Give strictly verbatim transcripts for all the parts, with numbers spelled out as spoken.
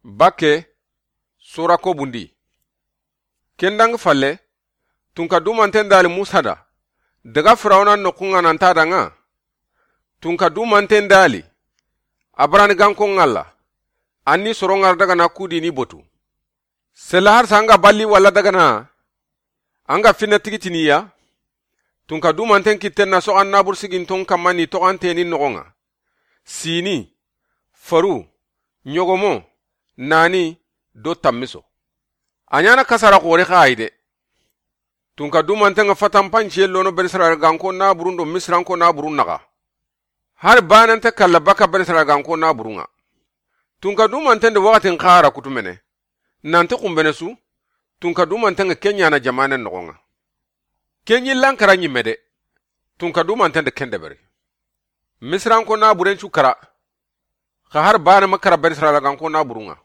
Bakke, sura ko bundi. Ken dangi falle, tunka dumanten dali Musa da, daga Firawuna noxun ŋa nan ta danŋa. Tunka dumanten dali, a barani ganko ŋalla, an ni soro ŋara daga na kudi ni botu. Sella harsa an ga balli walla daga na, an ga finna tigitiniya. Tunka dumanten kitten na soxan nabur siginton kamma ni toxanteni noxon ŋa. Sini, faru, ɲogomo, nani, do tammiso. A ɲana kasara xori xa ayi de. Tunka dumanten ŋa fatanpanciye lono Benisirayila ganko naburun do Misiranko naburun naxa. Hari banante kalla baka Benisirayila ganko naburun ŋa. Tunka dumanten de waxatin xara kutumene. Nanti xumbene su, tunka dumanten ŋa ke ɲana jamanen noxon ŋa. Ke ɲillan kara ɲimme de, tunka dumanten de ken deberi. Misiranko naburen cu kara, xa hari bane ma kara Benisirayila ganko naburun ŋa.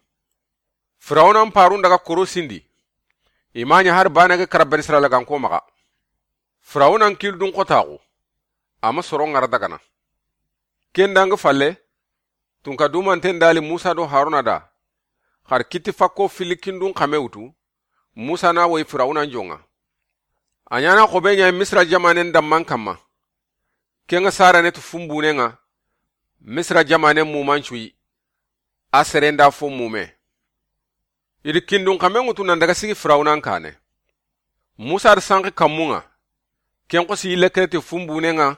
Firawunan parun daga koro sindi, i ma ɲa hari bane ga kara Benisirayila ganko maxa. Firawunan kildun xotaxu, a ma soro ŋara daga na. Ken dangi falle, tunka dumanten dali Musa do Haruna da, xar kiti fakko filikindun xame wutu, Musa na woyi Firawunan jonŋa. A ɲana xobe ɲa Misira jamanen damman kamma. Ken ŋa sarane tu fumbunen ŋa, Misira jamanen muman cuyi, a seren da fo mume. I di kindun xamen ŋutu nan daga sigi Firawunan kane. Musa da sanki kammun ŋa, ken xosi yille kere ti fumbunen ŋa,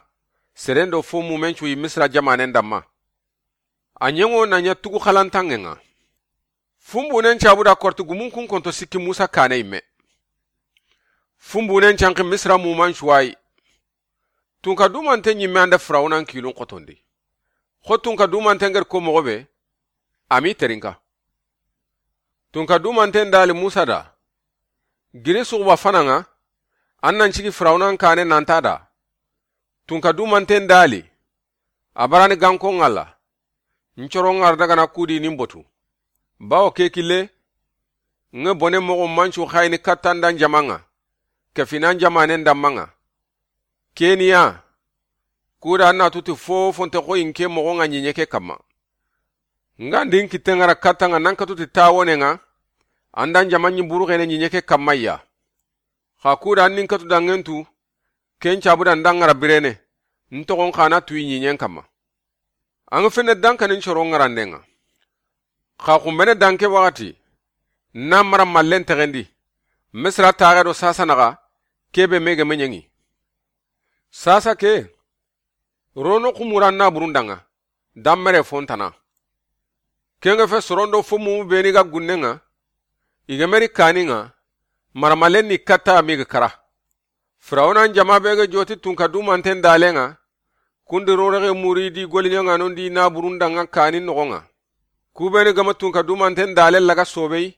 seren do fo mumen cuyi Misira jamanen damma. A ɲengo na ɲa tugu xalantanŋen ŋa. Fumbunen cabu da korti gumun kun konto sikki Musa kane yimme. Fumbunen canki Misira muman cuwayi. Tunka dumanten ɲimme an da Firawunan kilun xotondi. Xo tunka dumanten geri ko moxo be, a mi terinka. Tunka dumanten dali Musa da, giri suxuba fanan ŋa, an nan cigi Firawunan kane nan ta da. Tunka dumanten dali, a barani ganko ŋalla, n coro ŋara daga na kudi ni n botu. Bawo ke kille, ŋe bone moxo mancu xayini katta n da n jaman ŋa, ke fina n jamanen damman ŋa. Keniya, kuda an na tuti fofo nte xoyi n ke moxo ŋa ɲiɲe ke kamma. N ga ndi n kitten ŋara katta ŋa nan katuti tawonen ŋa, an da n jaman ɲi buru xene ɲiɲe ke kamma ya. Xa kuda an ni n katu danŋen tu, ken cabu da n da ŋara birene, n toxon xa na tuyi ɲiɲen kamma. An ga fenne dankanin coro ŋaranden ŋa. Xa xumbene danke waxati, na mara mallen texendi, Misira taxe do sasa naxa, kebe mege meɲeŋi. Sasa ke, rono xumura na burun danŋa, dammere fontana. Ken ŋa fe sorondo fo mumu beni ga gunnen ŋa, i ga meri kanin ŋa, mara mallen ni katta mi ga kara. Firawunan jama be ga joti tunka dumanten dalen ŋa, kundi rorexe muri di goliɲaŋanon di na burun danŋa kanin noxon ŋa. Kubeni gama tunka dumanten dalen laga sobei,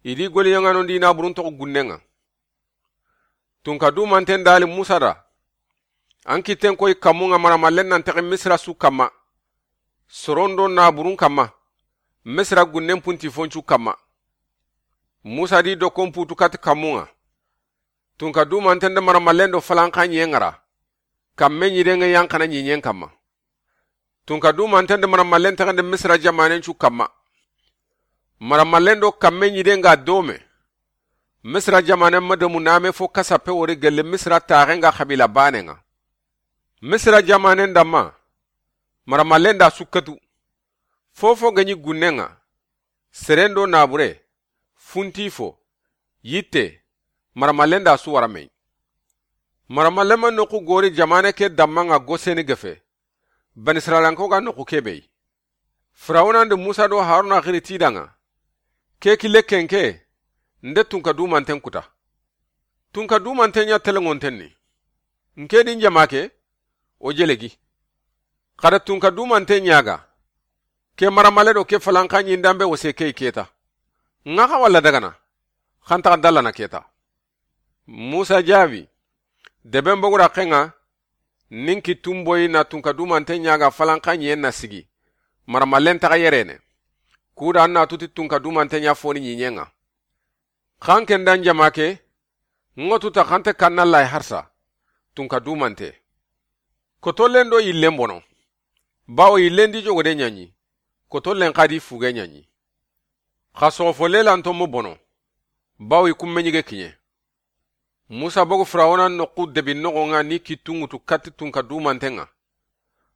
i di goliɲaŋanon di na burun toxo gunnen ŋa. Tunka dumanten dali Musa da, an kitten koyi kammun ŋa mara mallen nan texi Misira su kamma, sorondo na burun kamma, Misira gunnen punti foncu kamma. Musa di dokkon putu kati kammun ŋa. Tunka dumanten da mara mallen do falanka ɲiyen ŋara, kamme ɲiden ŋa yanxana ɲiɲen kamma. Tunka dumanten da mara mallen texende Misira jamanen cu kamma. Mara mallen do kamme ɲiden ga dome. Misira jamanen ma domu name fo kasappe wori gelle Misira taxen ga xabila banen ŋa. Misira jamanen damma, mara mallen da su katu. Fofo ga ɲi gunnen ŋa, serendo nabure, funti fo, yitte, mara mallen da su wara mei. Mara mallen ma noxu gori jamane ke damman ŋa Goseni gefe, Banisirayilanko ga noxu kebe yi. Firawunan di Musa do Haruna xiri ti danŋa, ke kille kenke, nde tunka dumanten kuta. Tunka dumanten ɲa telenŋonten ni. N ke di n jama ke, o jelegi. Xada tunka dumanten ɲaga, ke mara malle do ke falanka ɲindanbe wose ke keta. Ŋa xa walla dagana, xantaxa dallana keta. Musa jaabi, deben bogu da xenŋa, nin kittun boyi na tunka dumanten ɲaga falanka ɲiyen na sigi, mara mallen taxa yerene. Kuda an na tuti tunka dumanten ɲa foni ɲiɲen ŋa. Xan ken da n jama ke, ŋo tuta xante kanna lay harsa, tunka dumante. Kotollen do yillen bono. Bawo yillen di jogode ɲaɲi, kotollen xa di fuge ɲaɲi. Xa soxo fo lelanto mo bono, bawo i kumme ɲige kiɲe. Musa bogu Firawuna noxu debi noxo ŋa ni kittu ŋutu katti tunka dumanten ŋa.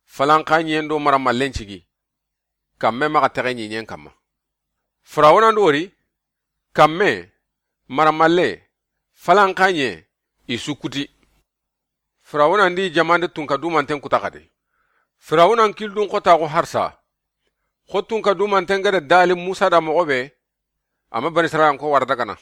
Falanxa ɲen do maramallen cigi. Kamme maxa texe ɲiɲen kamma. Firawuna ndi wori, kamme, maramalle, falanxa ɲe, i su kuti. Firawuna ndi jamande tunka dumanten kuta xadi. Firawuna n kildun xotaxu harsa. Xo tunka dumanten gada dali Musa da moxo be, ama Bani Israila n ko wara dagana.